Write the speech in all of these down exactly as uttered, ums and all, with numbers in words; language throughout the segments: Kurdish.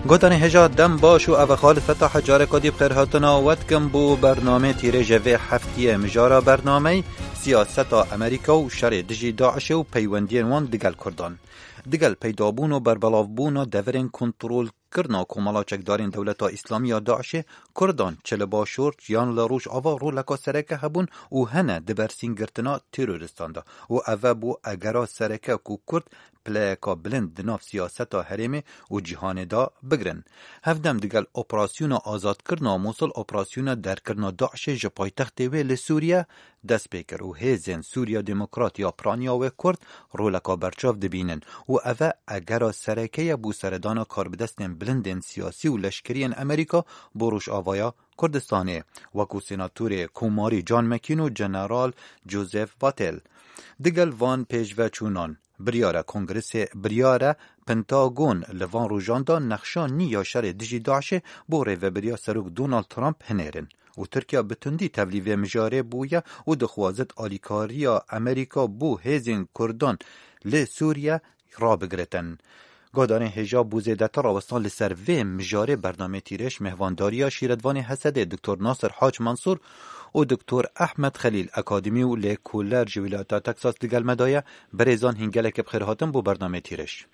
Gotanê hêja dem baş û ev xalifeta hecareka dî bi xêrhatina we dikim bo bernamê tîrêjê vê heftiyê. Mijara bernameyî siyaseta Amerîka û şerê dijî DAIŞê û peywendiyên wan digel Kurdan. Digel peydabûn û berbelavbûna deverên kontrolkirina komela çekdarên Dewleta Îslamî ya DAIŞê, Kurdan çi li Başûr yan li Rojava roleka sereke hebûn û hene di bersîngirtina terorîstan de û ev e bû egera sereke ku Kurd pileyeka bilind di nav siyaseta herêmê û cîhanê de bigirin. Hevdem digel operasyona azadkirina Mûsil, operasyona derkirina DAIŞê ji paytextê wê li Sûriye dest pê kir û hêzên Sûriya Demokrat ya piraniya wê Kurd roleka berçav dibînin û ev e egera sereke ye bo seredana karbidestên bilindên siyasî û leşkeriyên Amerîka bo Rojavaya Kurdistanê, wekû senatorê komarî John McCain û General Joseph Votel. Digel van pêşveçûnan, biryar e Kongresê, biryar e Pentagon li van rojan de nexşa nî ya şerê dijî DAIŞê bo rêvebiriya Serok Donald Trump hinêrin û Tirkiye bi tundî tevlî vê mijarê bûye û dixwazit alîkariya Amerîka bo hêzên Kurdan li Sûriye rabigiritin. Guhdarên hêja bo zêdetir rawestan li ser vê mijarê bernameyê Tîrêj mêhvandariya şîretvanê HSDê Doktor Nasir Hac Mansûr û Doktor Ehmed Xelîl, akademî û lêkoler ji Wîlayeta Texas digel me de ye. Birêzan hîn gelekî bi xêr hatin bo bernameyê Tîrêj.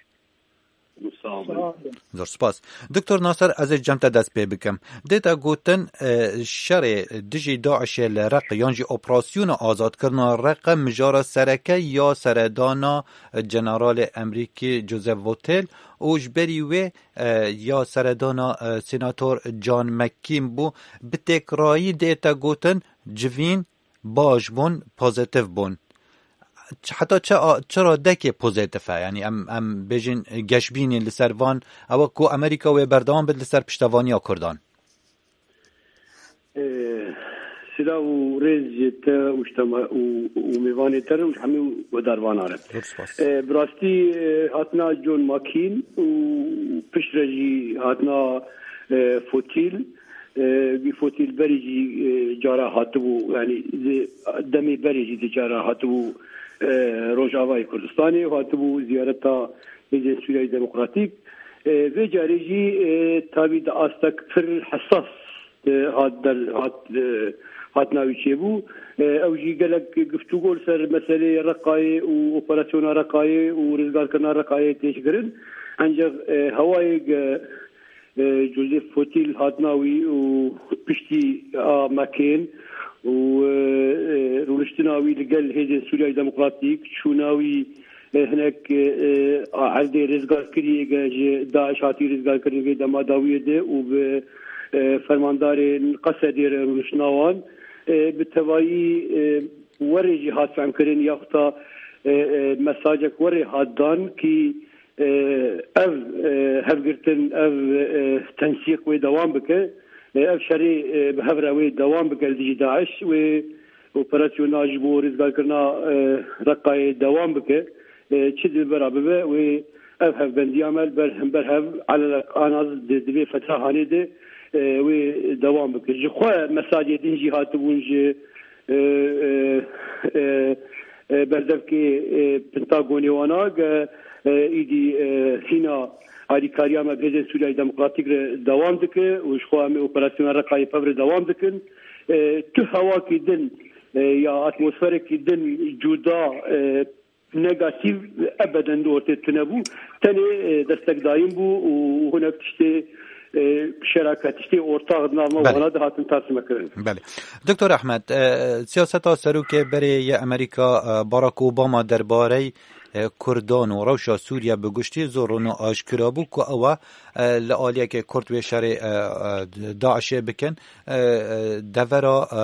Sağ olun. Zor spas. Doktor Nasir, ez ê cem te dest pê bikim. Dê te gotin, e, şerê dijî DAIŞê li Req yan jî operasyona azadkirina Req mijara sereke ya seredana, e, Generalê Amerîkî Joseph Votel û ji berî wê, e, ya seredana, e, Senator John McCain bû. Bi têkrayî dê te gotin civîn baş bûn, pozîtîf bûn. Heta çi a-, çi radekê pozîtîf e? Yanî em, em bêjin geşbînî li ser van, ew e ku Amerîka wê berdewam bit li ser piştevaniya Kurdan. Ee, Silav û rêz ji te û ji te me-, û, û mêvanê te re û ji hemî guhdarvana re. Zor spas. Ee, bi rastî, ee, hatina John McCain û piştre jî hatina, ee, Fotîl, ee, wî Fotîl berî jî, ee, cara hatibû, yanî di demê berê jî di cara hatibû, ee, Rojavayê Kurdistanê û hatibû ziyareta Hêzên Sûriyeyê Demokratîk. Ee, vê carê jî, ee, tabî di astek pir hesas, ee, hat der, hat, ee, hatina wî çêbû. Ee, ew jî gelek guftûgo li ser meseleyê Reqayê û operasyona Reqayê û rizgarkirina Reqayê têş kirin. Encex, ee, hewayê ge-, e, Joseph Fotîl hatina wî û piştî a McCain û, e, e, rûniştina wî li gel Hêzên Sûriyeyê Demokratîk, çûna wî, e, hinek, e, e, a erdê rizgarkiriyê ge ji DAIŞ hatî rizgarkirin vê dema dawiyê de û bi, e, fermandarên Qesedê re rûniştina wan, e, bi tevayî, e, werê jî hat fehmkirin yaxuta, e, e, mesajek werê hat dan kî, e, ev, e, hevgirtin, ev, e, tensîq wê dewam bike, e, ev şerê, e, bi hev re wê dewam bike li dijî DAIŞ, wê operasyona ji bo rizgarkirina, e, Reqayê dewam bike, e, çi dibera bibe, wê ev hevbendiya me li ber hember hev elelek anaz di, di vê fetra hanê de, e, wê dewam bike. Ji xwe mesajê din jî hatibûn ji, e, e, e, e, berdevkê, e, Pentagonê wana ge, e, îdî, e, hîna alîkariya me bi Hêzên Sûriyeyê Demokratîk re dewam dike û ji xwe em ê operasyona Reqayê pev re dewam dikin. E, tu hewakî din, e, ya atmosferekî din cuda, e, negatîf ebeden di ortê tune bû. Tenê, e, destekdayîn bû û hinek tiştê, e, şeraket, tiştê ortax di nav me Belê. wana dihatin tarsimekirin. Belê. Doktor Ehmed, e, siyaseta serokê berê yê Amerîka, e, Barack Obama derbarey, e, Kurdan û rewşa Sûriye bi giştî zor rûn û aşkira bû ku ew e, e, li aliyekê Kurd wê şerê, e, e, DAIŞê bikin, e, e, devera, e,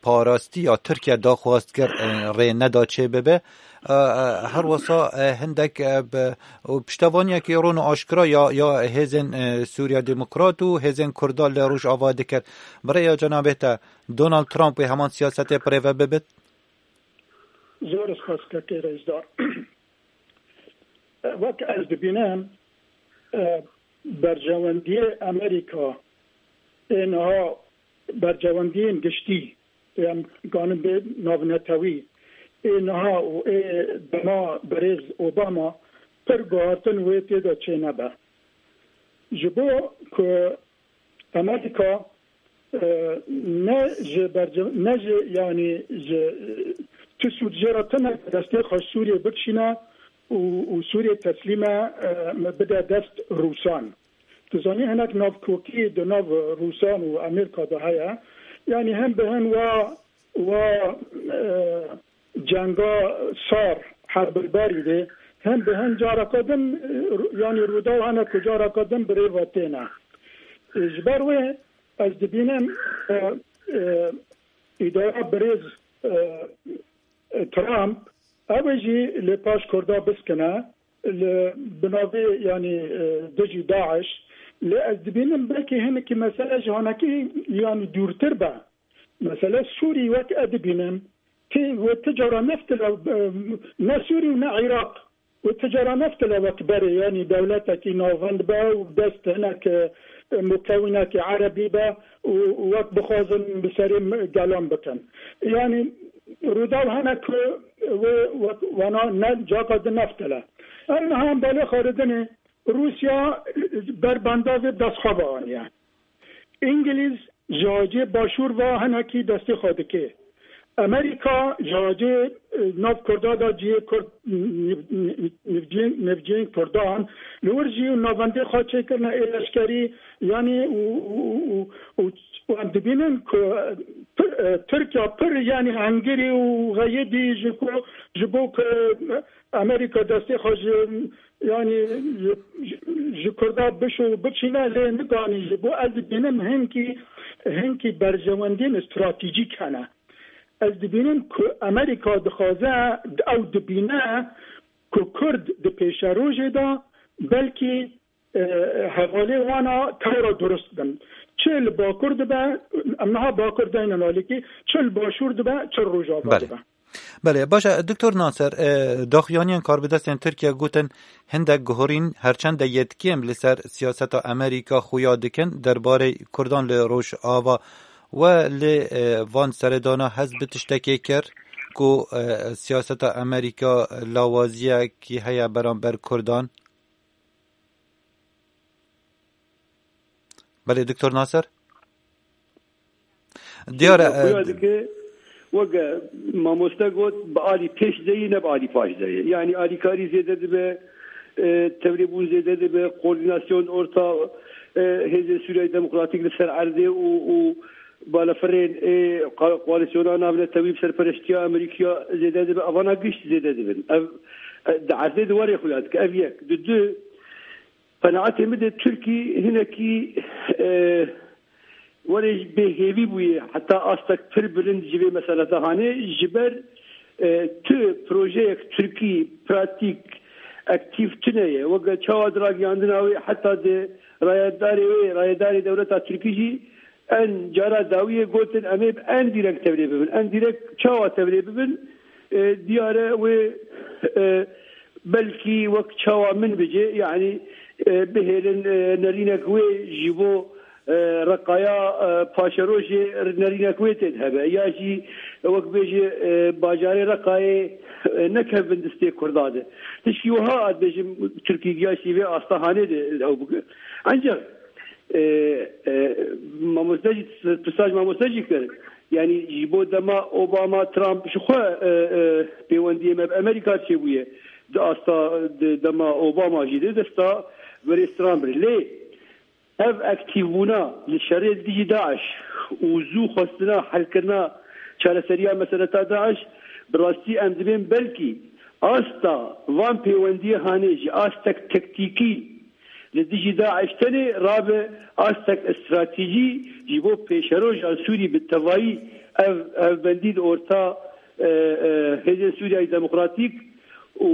parastî ya Tirkiye daxwaz kir, e, rê neda çê bibe. E, e, her wisa, e, hindek, e, bi, û piştevaniyekî rûn û aşkira ya, ya hêzên, e, Sûriya Demokrat û hêzên Kurda li Rojava dikir. Bi rêya cenabê te, Donald Trump wê heman siyasetê bi rê ve bibit? Zor spas kekê rêzdar. Wek ez dibînim, e, berjewendiyê Amerîka ê niha bercewendiyên giştî, em ganin bê navnetewî, ê niha û ê dema berêz Obama pir guhartin wê tê de çênebe. Ji bo ku Amerîka, e, ne ji berce-, ne ji, yanî ji, e, tu Sûd jê re tune destê xwe Sûriyê bikişîne û, û Sûriyê teslîme, e, bide dest Rûsan. Tu zanî hinek navkokî di nav Rûsan û Amerîka de heye. Yanî hem bi hin wa, wa, e, cenga sar, herbil barî de, hem bi hin careka din, e, yanî rûdaw hene ku careka din bi rê ve têne. E, ji ber wê ez dibînim, e, e, îdara birêz, e, e, Trump, ew ê jî lê paş Kurda biskine, li binavê, yanî, e, dijî DAIŞ, lê ez dibînim belkî hinekî mesele ji hanekî, yanî, dûrtir be. Mesele Sûrî wek ez dibînim, ti, wê ti cara neftile, e, ne Sûrî û ne Iraq, wê ti cara neftile wek berê, yanî dewletekî navend be û dest hinek, e, mukewînekî erebî be û wek bixwazin bi serê me-, gelan bikin. Yanî rûdaw hene ku wê wek wana ne caka di neftile. Em niha em belê xwaridinê Rûsya ber bandavê destxwe ve aniye. Îngilîz ji hacê başûr ve hinekî destê xwe dike. Amerîka ji hacê, e, nav Kurda de cihê Kurd, nivcên, nivcên Kurdan li wir jî navendê xwe çêkirine ê leşkerî, yanî û, û, û, û, û em dibînin ku pir, e, Tirkiye pir, yanî hengirî û xeyidî ji ku, ji bo ku Amerîka destê xwe ji, yanî ji, ji, ji Kurda bişo û bikişîne lê nikanî ji bo ez dibînim hinkî, hinkî berjewendiyên stratejîk hene. Ez dibînim ku Amerîka dixwaze, ew dibîne ku Kurd di pêşerojê de belkî, e, hevalê wana tewra durust bin. Çi li Bakur dibe, em niha Bakur deynin alîkî, çi li Başûr dibe, çi li Rojava Belê. dibe. Belê, baş e, Doktor Naser, e, daxuyaniyên karbidestên Tirkiye gotin, hindek guhorîn herçend de yê kêm li ser siyaseta Amerîka xuya dikin derbarê Kurdan li Rojava. We li, e, van seredana hez bi tiştekê kir ku, e, siyaseta Amerîka lawaziyekî heye beramber Kurdan? Belê, Doktor Naser? Diyar e, Xuya dike, weke mamoste got, bi alî pêş de yî, ne bi alî paş de yî. Yanî alîkarî zêde dibe, e, tevlêbûn zêde dibe, koordînasyon orta, e, Hêzên Sûriyeyê Demokratîk li ser erdê û, û balafirên, e, ko-, koalîsyona navnetewî bi serpereştiya Amerîkaya zêde dibe. Evana gişt zêde dibin. Ev, e, di erdê di warê xuya dike. Ev yek. Di du, Qenaetê min de Tirkî hinekî, e, werê ji bêhêvî bûye, heta astek pir bilind ji vê meselete hanê, ji ber, e, tu projeyek Tirkî pratîk, aktîf tune ye. Weke çawa di ragihandina wê heta di rayedarê wê, rayedarê dewleta Tirkî jî en cara dawiyê gotin, em ê bi en dîrek tevlê bibin. En dîrek çawa tevlê bibin? E, diyar e wê, e, belkî wek çawa min bicê, yanî, e, bihêlin, e, nerînek wê ji bo, e, Reqaya, e, paşerojê nerînek wê tê hebe. Ya jî wek bêjî, e, bajarê Reqayê, e, nekevin distê Kurda de. Tişkî wiha ez bêjim, Tirkî giya jî vê asta hanê de ew bike. Ancak, e, e, mamoste jî, pisaj mamoste jî kir. Yanî ji bo dema Obama, Trump ji xwe, e, e, pêwendiyê me bi Amerîka çêbûye. Di asta, di dema Obama jî de desta berêz Trump re. Lê ev aktîvbûna li şerê dijî DAIŞ û zû xwestina helkirina çareseriya meseleta DAIŞ, bi rastî em dibên belkî asta van pêwendiyê hanê ji astek tektîkî li dijî DAIŞ tenê rabe astek stratejî ji bo pêşeroja Sûrî bi tevayî ev hevbendî li orta, e, e, Hêzên Sûriyeyê Demokratîk û,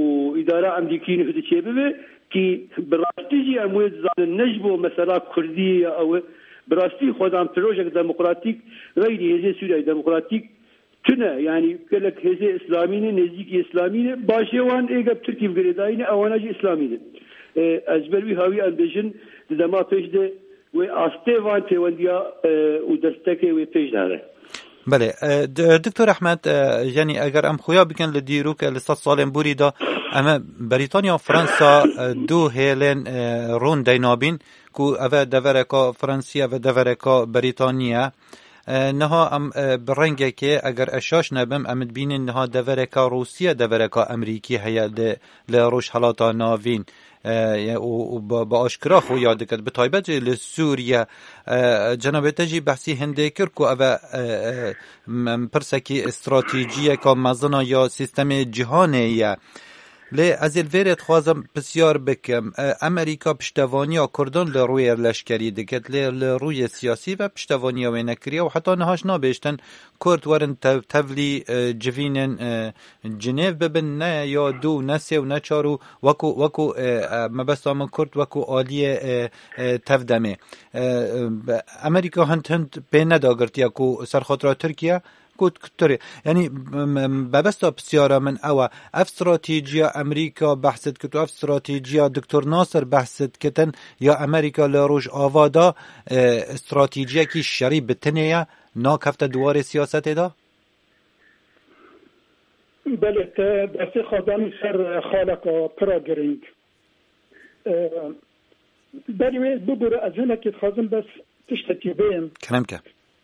û îdara Emerîkî nûh diçê bibe, kî bi rastî jî em wê dizanin ne ji bo mesela Kurdî ya ew e, bi rastî xwedan projek demokratîk xeyrî Hêzên Sûriyeyê Demokratîk tune, yanî gelek hêzê îslamî ne, nêzîkî îslamî ne, başê wan ê gel Tirkî bi girêdayî ne, ewana jî îslamî ne. E, ez ji ber wî hawî em bêjin, di dema pêş de wê astê van pêwendiya, e, û destekê wê pêş de here. Belê, e, d-, Doktor Ehmed, e, yanî eger em xuya bikin li dîrok, e, li sed salên borî de, em e Brîtanya, Fransa, e, du hêlên, e, rûn deynabîn, ku ev e devereka Fransî, ev e devereka Brîtanî ye. E, niha em, e, bi rengekê, eger ez şaş nebim, em dibînin niha devereka Rûsî ye, devereka Amerîkî heye li, li Rojhelata Navîn. E, û, û bi, bi aşkira xuya diket, bi taybet jî li Sûriye. E, cenabê te jî behsî hindê kir ku ev e, e, e, m-, pirsekî stratejiyeka mezin a ya sîstemê cîhanê ye. Lê ez ê li vêrê dixwazim pisyar bikim. E, Amerîka piştevaniya Kurdan li rûyê leşkerî diket, lê li rûyê siyasî ve piştevaniya wê nekiriye û heta niha jî nabêjtin Kurd werin tev-, tevlî, e, civînên, e, Cinêv bibin, ne ya du, ne sê û ne çar û wekû, wekû, e, e, mebesta min Kurd wekû aliyê, e, e, tevdemê. E, e, Amerîka hind hind pê nedagirtiye ku serxatira Tirkiye ku, ku Tirê. Yanî, m-, m-, mebesta pisyara min ew e. Ev stratejiya Amerîka behs dikit û ev stratejiya Doktor Nasir behs dikitin ya Amerîka li Rojava de, e, stratejiyekî şerî bi tinê ye, nakefte di warê siyasetê de? Belê, te destê xwe danî ser xaleka pira girîng. E, berî wê bibûre, ez hinekî dixwazim bes tiştekî bêm. Kerem ke.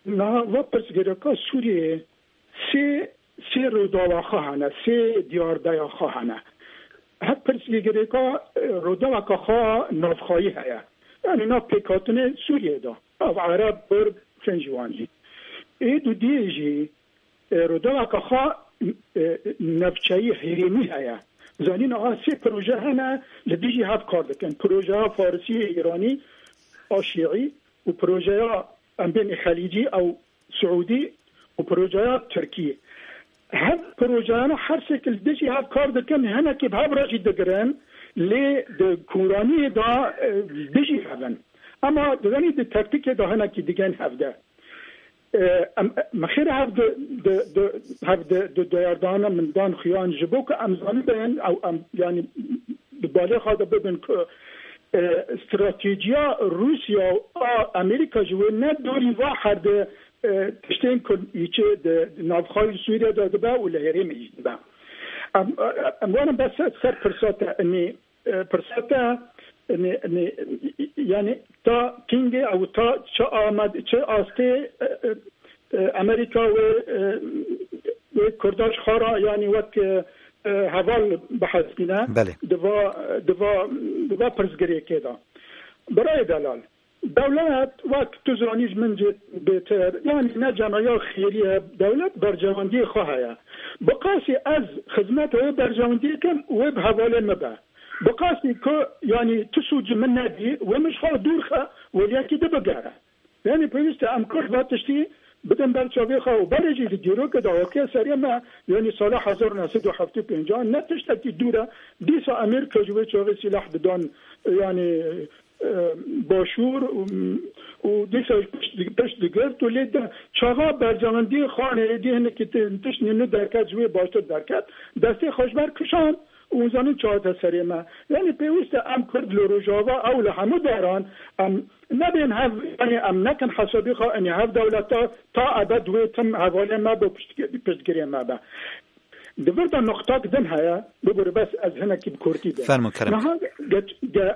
Niha va pirsgirêka Sûriyê sê, sê rûdawa xwe hene, sê diyardeya xwe hene. Her pirsgirêka, e, rûdaweka xwe navxweyî heye. Yanî nav pêkhatinê Sûriyê de. Nav Ereb, Kurd, çend ji wan jî. Ê dudiyê jî, e, rûdaweka xwe, e, navçeyî herêmî heye. Zanîn aha sê proje hene li dijî hev kar dikin. Projeya Farisî, Îranî, a Şîî û projeya em bênê Xelîcî ew Siûdî û projeya Tirkî. Hev projeyana her sêkil dijî hev kar dikin, hinekî bi hev re jî digirin, lê di kûraniyê de, e, dijî hev in. Ema dizanî di tektîkê de hinekî digên hev de. E, em, min xêr hev di, di, di, hev di, di diyardana min dan xuyan ji bo ku em zanibin ew em, yanî, di balê xwe de bibin ku, e, stratejiya Rûsya û a Amerîka ji wê ne dorî va her di, e, tiştên ku îçi di navxweyî Sûriye de dibe û li herêmê jî dibe. Em, em werin bes ser pirsa te, inî, e, pirsa te, inî, inî, yanî ta kîngê ew ta çi amad-, çi astê, e, e, e, Amerîka wê, e, wê Kurda ji xwe re, yanî wek, e, e, heval bihesibîne. Belê. Di va, di va, di va pirsgirêkê de. Birayê delal, dewlet, wek tu zanî ji min jî bêtir, yanî ne cemayeya xêrî ye, dewlet berjewendiyê xwe heye. Bi qasî ez xizmeta wê berjewendiyê kim, wê bi hevalê min be. Bi qasî ku, yanî tu sûd ji min nebî, wê min ji xwe dûr xe, wê yekî di bigere. Yanî pêwîst e em Kurd va tiştî bidin ber çavê xwe û berê jî di dîrokê de hatiye serê me, yanî sala hezar û neh sed û heftê û pênc ne tiştekî dûr e. Dîsa Amerîka ji wê çavê sîleh didan, yanî, e, Başûr û, û dîsa pişt, pişt digirt û lê de çaxa berjewendiyê xanê êdî hinekî ti-, tiştî nû derket ji wê baştir derket, destê xwe ji ber kişand. Û zanin çi hate serê me. Yanî pêwîst e em Kurd li Rojava ew li hemû deran, em nebên hev, yanî em nekin hesabî xwe, enî hev dewleta ta ebed wê tim hevalê me be, piştgirê me be. Di vir de nuqtak din heye, bibûre bes ez hinekî bi kurtî bêm. Fermo kerem. Niha ge-, ge-,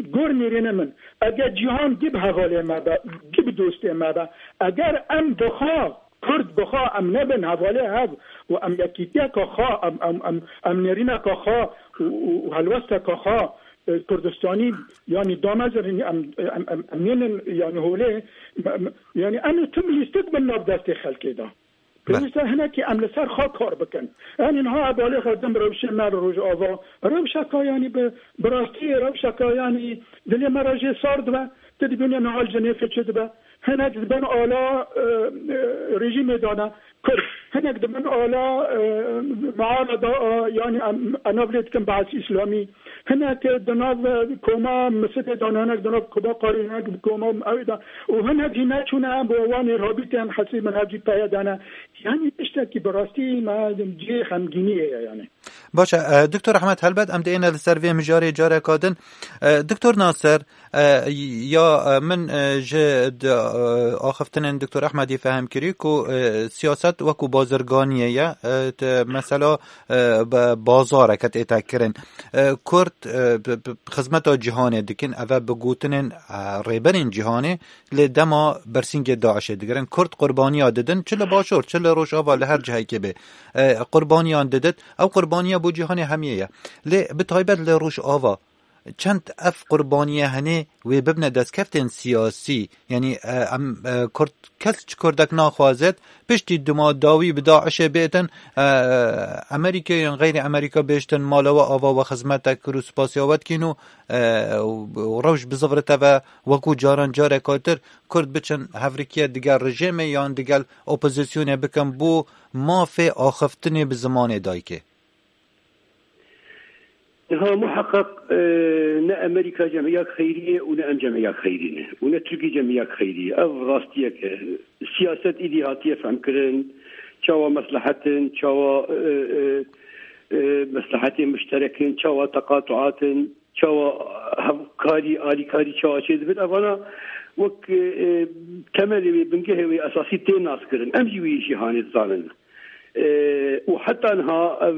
gor nêrînê min, eger cîhan gî bi hevalê me be, gî bi dostê me be, eger em bi xwe Kurd bi xwe em nebin hevalê hev û em yekîtiyeka xwe, em, em, em, em nêrîneka xwe û, û, û helwesteka xwe, e, Kurdistanî, yanî damezin, em, em, em, em nênin, yanî holê, em, em, yanî em ê tim lîstik bin nav destê xelkê de. Be- Pêwîst e hinekî em li ser xwe kar bikin. Yanî niha hevalê xwe din bi rewşê me li Rojava, rewşeka yanî bi, bi rastî rewşeka yanî dilê me re jê sar dibe, tu dibînî niha li Jenêfê çi dibe. Hinek dibin ala, e, e, rejîmê de ne Kurd. Hinek dibin ala, e, muarada, e, yanî em, em nav lê dikin Be'es Îslamî. Hinek di nav, e, koma Misilê de ne, hinek di nav koma Qarî, hinek di koma ew de. Û hinek jî neçûne bo wan ê rabîtên hesî min hev jî peye de ne. Yanî tiştekî bi rastî me cihê xemgîniyê ye yanî. Baş e, e, Doktor Ehmed, helbet em diêne li ser vê mijarê careka din. E, Doktor Naser, e, ya, e, min, e, ji di, e, axiftinên Doktor Ehmedî fehm kirî ku, e, siyaset wekû bazirganiyê ye, e, te, mesela, e, be-, bazareke tête kirin. E, Kurd, e, bi, bi, xizmeta cîhanê dikin, eve bi gotinên, e, rêberên cîhanê lê dema bersîngê DAIŞê digirin. Kurd qurbaniya didin, çi li Başûr, çi li Rojava, li her cihekê bê. E, qurbaniyan didit. Ew qurbaniya bo cîhanê hemiyê ye. Lê bi taybet li Rojava çend ev qurbaniye hene wê bibne destkeftên siyasî? Yanî, e, em, e, Kurd, kes ji Kurdek naxwazet, piştî dima dawî bi DAIŞê bêtin, e, Amerîkê yan xeyrî Amerîka bêjtin, mala we ava we xizmetek kir û spasiya we dikîn û, e, û, û rewş bizivirite ve wekû caran careka tir Kurd biçin hevrikiye digel rejêmê yan digel opozisyonê bikin bo mafê axiftinê bi zimanê dayikê. Niha muheqeq, e, ne Amerîka cemiyek xeyrî ye û ne em cemiyek xeyrî ne û ne Tirkî cemiyek xeyrî ye. Ev rastiyek e. Siyaset îdî hatiye fehmkirin, çawa meslehet in, çawa, e, e, e, meslehetê muşterek in, çawa teqatuat in, çawa hevkarî, alîkarî çawa çêdibin. Evana wek, e, e, temelê wê, bingehê wê esasî tê naskirin. Em jî wî jîhanê dizanin. E, û heta niha ev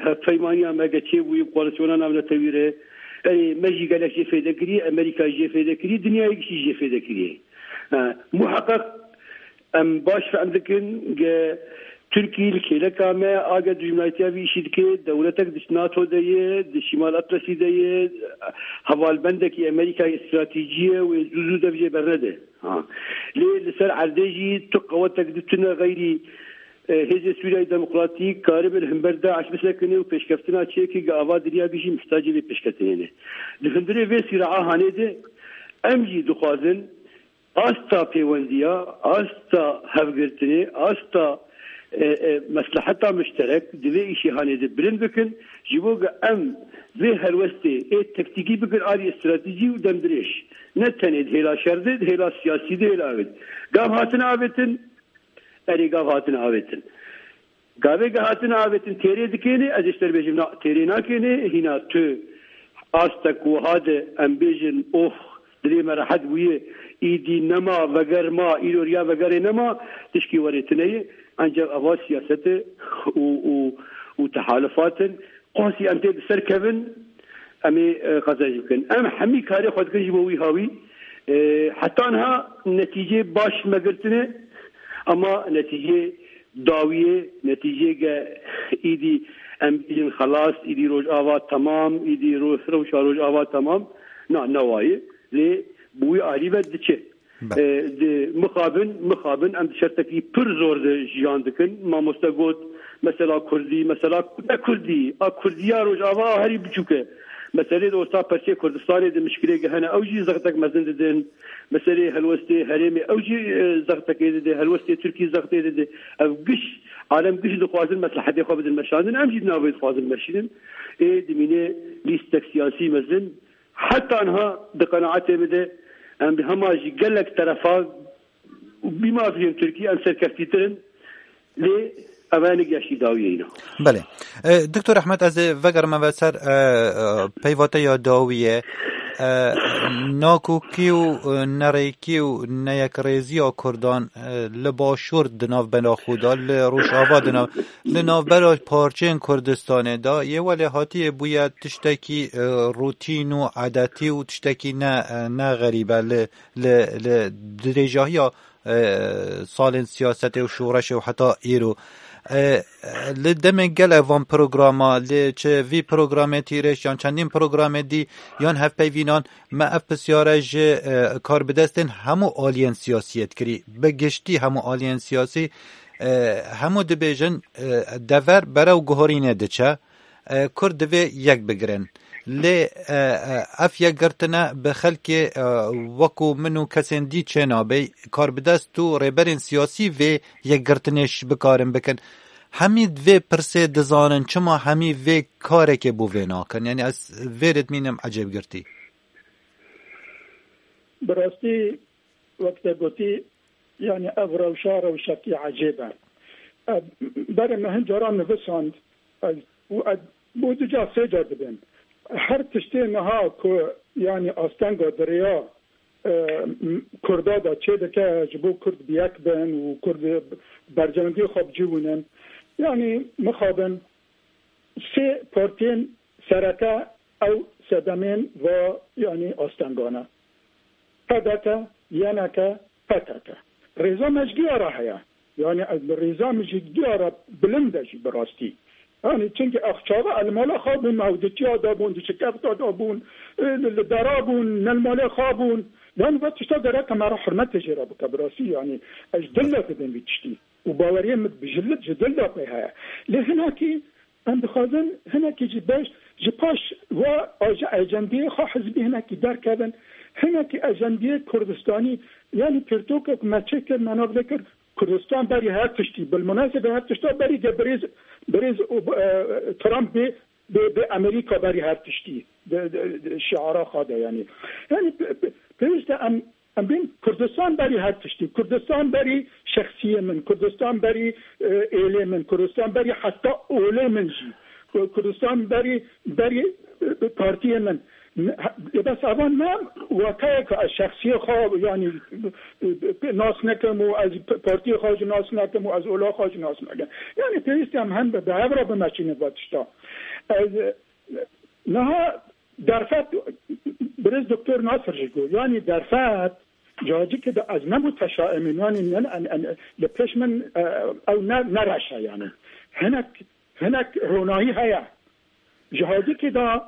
hevpeymaniya me ge çêbûyî bi Koalisyona Navnetewî re, erê, me jî gelek jê fêde kiriye, Amerîka jê fêde kiriye, dinyayê gişî jê fêde kiriye. E, muheqeq em baş fehm dikin ge Tirkî li kêleka me a ge dijminayetiya vî îşî dike, dewletek di NATO de ye, di Şîmal Atlasî de ye, hevalbendekî Amerîkayê stratejî ye, wê zû zû dev jê bernede. Ha. Lê li ser erdê jî tu qewetek di tune xeyrî, e, Hêzê Sûriyayê Demokratîk karibin himber DAIŞ bisekine û pêşkeftina çêke ge ava dinya gişî mihtacê vê pêşketinê ne. Di hundirê vê sîraa hanê de em jî dixwazin asta pêwendiya, asta hevgirtinê, asta, e, e, mesleheta muşterek di vê îşê hanê de bilind bikin, ji bo ge em vê helwestê ê tektîkî bikin alî stratejî û demdirêj. Ne tenê di hêla şer de, di hêla siyasî de, hêla avêt. Gav hatin avêtin, erê gav hatin avêtin. Gavê ge hatin avêtin têrê dikêne, ez ê ji te re bêjim, na, têrê nakêne, hîna tu astek wiha de em bêjin, oh, dilê me rehet bûye, îdî nema, veger ma, îro riya vegerê nema, tişkî werê tune ye, ancak eva siyaset e û, û, û tehalufat in. Qasî em tê di ser kevin, em ê, e, qezenc bikin. Em hemî karê xwe dikin ji bo wî hawî. E, heta niha netîcê baş me girtine, ama netîcê dawiyê, netîcê ge îdî em bêjin xelas, îdî Rojava temam, îdî ro-, rewşa Rojava temam, na, ne wa ye. Lê bi wî alî ve diçe. Be. E, di mixabin, mixabin em di şertekî pir zor de jiyan dikin. Mamoste got, mesela Kurdî, mesela ne Kurdî, a Kurdiya Rojava a herî biçûk e. Meselê de orta perçê Kurdistanê de mişkilê ge hene, ew jî zextek mezin didin. Meselê helwestê herêmê, ew jî, e, zextekê dide, helwestê Tirkî zextê dide. Ev giş, alem giş dixwazin meslehetê xwe bidin meşandin, em jî di navê dixwazin meşînin. Ê dimîne lîstek siyasî mezin. Heta niha di qenaetê min de em bi hema jî gelek terefa û bîmafiyên Tirkî em serkeftîtir in. Lê ev e nigeşî dawiyê îna. Belê. E, Doktor Ehmed, ez ê vegerime ve ser, e, e, peyvateya dawiyê. E, nakokî û, e, nerêkî û neyekrêziya Kurdan, e, li Başûr di navbera xwe de, li Rojava di nav-, li navbera parçeyên Kurdistanê de yê welêhatiyê bûye tiştekî, e, rûtîn û edetî û tiştekî ne, e, ne xerîb e li, li, li dirêjahiya, e, salên siyasetê û şoreşê û heta îro. E, li demê gelek van programa, li çi vî programê Tîrêş yan çendîn programê dî yan hevpeyvînan me ev pisyare ji, e, karbidestên hemû aliyên siyasî yê dikirî. Bi giştî hemû aliyên siyasî, e, hemû dibêjin, e, dever berew guhorînê diçe. E, Kurd divê yek bigirin. Lê, e, e, ev yekgirtine bi xelkê, e, wekû min û kesên dî çênabe. Karbidest û rêberên siyasî vê yekgirtinê ş-, bikarin bikin. Hemî vê pirsê dizanin, çima hemî vê karekê bo vê nakin? Yanî ez vê ritmînim ecêbgirtî. Bi rastî, wek te gotî, yanî ev rewşa rewşekî ecêb e. E, berê me hin caran nivisand, ez, û ez Bo du car, sê car dibên. Her tiştê niha ku, yanî, astenga di rêya, e, m-, Kurda de çêdike, ji bo Kurd bi yek bin û Kurd berjewendiyê xwe bi cî wînin. Yanî, mixabin sê partiyên sereke ew sedemên va, yanî, astenga ne. P D K, Y N K, P K K. Rêza me ji diyara heye. Yani ez li rêza min jî diyara bilind e jî bi rastî. Yani çimkî ex çaxa ez li mala xwe bûn, me ew di çiya da bûn, di şikefta da bûn, e, li, li dera bûn, ne li malê xwe bûn. Yani va tişta gerek me re hurmetê jê re bike bi rastî. Yani ez ji dil de dibêm vî tiştî. Û baweriyê min bi ji li, ji dil de pê heye. Lê hinekî Em dixwazin hinekî ji beş, ji paş ve a ji ecendiyê xwe hizbî hinekî derkevin. Hinekî ecendiyê Kurdistanî, yanî pirtûkek me çêkir, me nav vekir, Kurdistan berî her tiştî. Bilmunasebe her tişta berî ge birêz, birêz û, e, Trump bê, bê, bê Amerîka berî her tiştî. De, de, de, şiara xwe de yanî. Yanî pe-, pe-, pêwîst e em Em bên Kurdistan berî her tiştî. Kurdistan berî şexsiyê min. Kurdistan berî, e, êlê min. Kurdistan berî heta olê min jî. Ku-, Kurdistan berî, berî, e, partiyê min. Ne, ha, e, bes evan me wateyeke ez şexsiyê xwe, yanî, e, e, nas nekim û ez p-, partiyê xwe jî nas nekim û ez ola xwe jî nas nekim. Yanî pêwîst e em hem bi, bi hev re bimeşînin va tişta. Ez, e, niha Derfet, birêz Doktor Nasir jî got, yanî derfet, cacikê de ez ne muteşaim im, yanî ne, en, en, li pêş min, e, ew ne, ne reş e yanî. Hinek, hinek ronahî heye. Ji hadikê de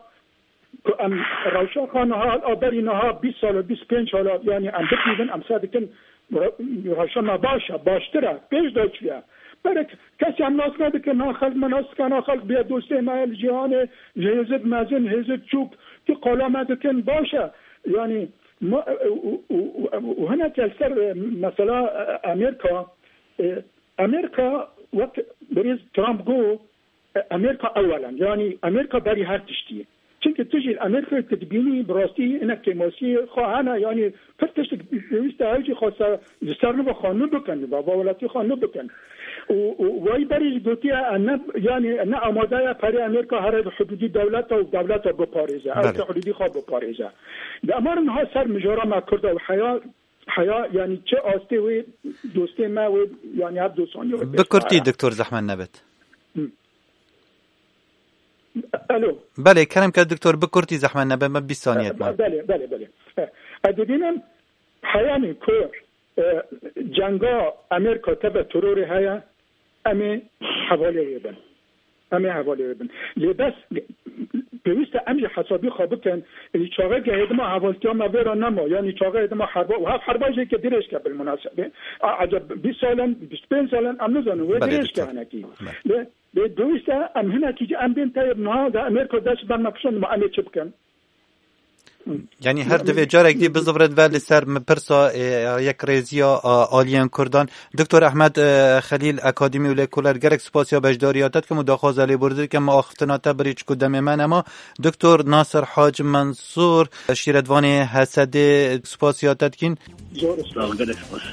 ku em rewşa xwe niha, a berî niha bîst sal, bîst pênc sal, yanî em bidîvin, em ser dikin, Re-, rewşa me baş e, baştir e, pêş de çûye. Berek kesî em nas nedikin, na xelk me nas dikin, na xelk bê dostê me li cîhanê, ji hêzid mezin, hêzid çûk, tu qala me dikin, baş e. Yanî, ma, û, û, û, û, û hinek li ser, e, mesela, e, Amerîka, e, Amerîka wek birêz Trump got, Amerîka ewel e. Yanî Amerîka berî her tiştî ye. Çimkî tu jî Amerîkayê tu dibînî, bi rastî hinek kêmasiyê xwe hene, yanî pir tiştek pêwîst e ew jî xwe ser, ji ser nû ve xwe nû bikin, va, va welatî xwe nû bikin. Û, û wayî berî jî gotiye, e, ne, yanî ne amade ye perê Amerîka here bi hudûdî dewleta û dewleta biparêze, ew Belê. Te hudûdî xwe biparêze. Di emarin ha ser mijara me Kurda û heya, heya, yanî çi astê wê dostê me wê, yanî her dostaniya wê Bi pêş kurtî, me. Doktor, zehmet nebet. Hı. Alo. Belê, kerem ke doktor, bi kurtî zehmet nebe, me bîst saniyet ma. Belê, belê, belê. E, ez dibînim, heyanî ku, e, cenga Amerîka tebe terorê heye, em ê hevalê wê bin. Em ê hevalê wê bin. Lê bes, pêwîst e em jî hesabî xwe bikin. Ê, çaxê ke hêdima hevaltiya me vêra nema, yanî çaxê hêdima herba, û hev herba jê ke dirêj ke bil munasebe. A, eceb bîst sal in, bîst pênc sal in, em nizanin, wê Belê, dirêj ke doktor. Hinekî. Belê. Lê Lê pêwîst e em hinekî jî em bên teyb niha de Amerîka dest ber me kişand, ma em ê çi bikin? Yanî her divê carek dî bizivirin ve li ser min pirsa, e, yekrêziya, a, aliyên Kurdan. Doktor Ehmed, e, Xelîl, akademî û lêkoler, gelek spasiya beşdariya te dikim û daxwaza lêborî dikim. Me axiftina te birî çiku demê me nema. Doktor Nasir Hac Mensûr, şîretvanê H S D'ê, spasiya te dikîn. Zor spas, gelek spas.